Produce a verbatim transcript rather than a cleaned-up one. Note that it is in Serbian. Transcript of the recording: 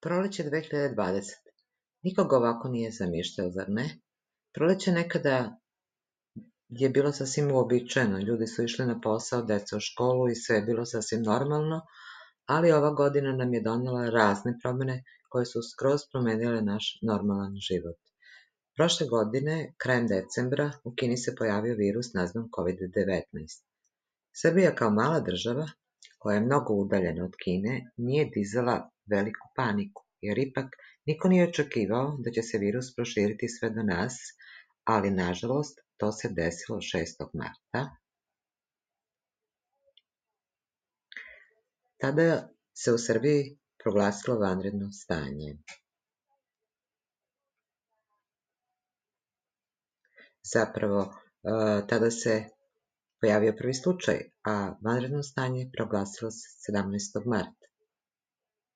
Proleće dve hiljade dvadesete. Nikog ovako nije zamišljao, zar ne? Proleće nekada je bilo sasvim uobičajeno, ljudi su išli na posao, deca u školu i sve je bilo sasvim normalno, ali ova godina nam je donela razne promene koje su skroz promenile naš normalan život. Prošle godine, krajem decembra, u Kini se pojavio virus nazvan kovid devetnaest. Srbija kao mala država, koja je mnogo udaljena od Kine, nije dizala veliku paniku, jer ipak niko nije očekivao da će se virus proširiti sve do nas, ali nažalost to se desilo šestog marta. Tada se u Srbiji proglasilo vanredno stanje. Zapravo, tada se pojavio prvi slučaj, a vanredno stanje proglasilo se sedamnaestog marta.